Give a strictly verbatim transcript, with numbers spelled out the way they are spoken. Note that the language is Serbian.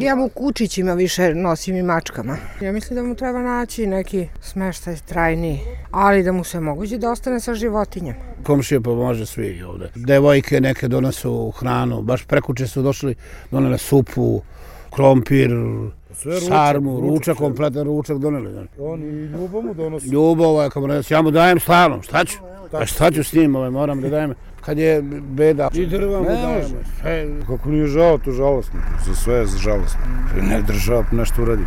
Ja mu kučićima više nosim i mačkama. Ja mislim da mu treba naći neki smeštaj trajniji, ali da mu se moguće da ostane sa životinjem. Komšije pomože svi ovde. Devojke neke donesu hranu, baš prekuče su došli, donele supu, krompir, sarmu, ručak, kompletan ručak doneli. On i Ljubo mu donosi. Ljubo, je, ja mu dajem stalno, šta ću? A šta ću s njim, moram da dajem, kad je beda. I drva mu dajem. Kako nije žao, to žalostno, za sve je žalostno. Ne država nešto uradi.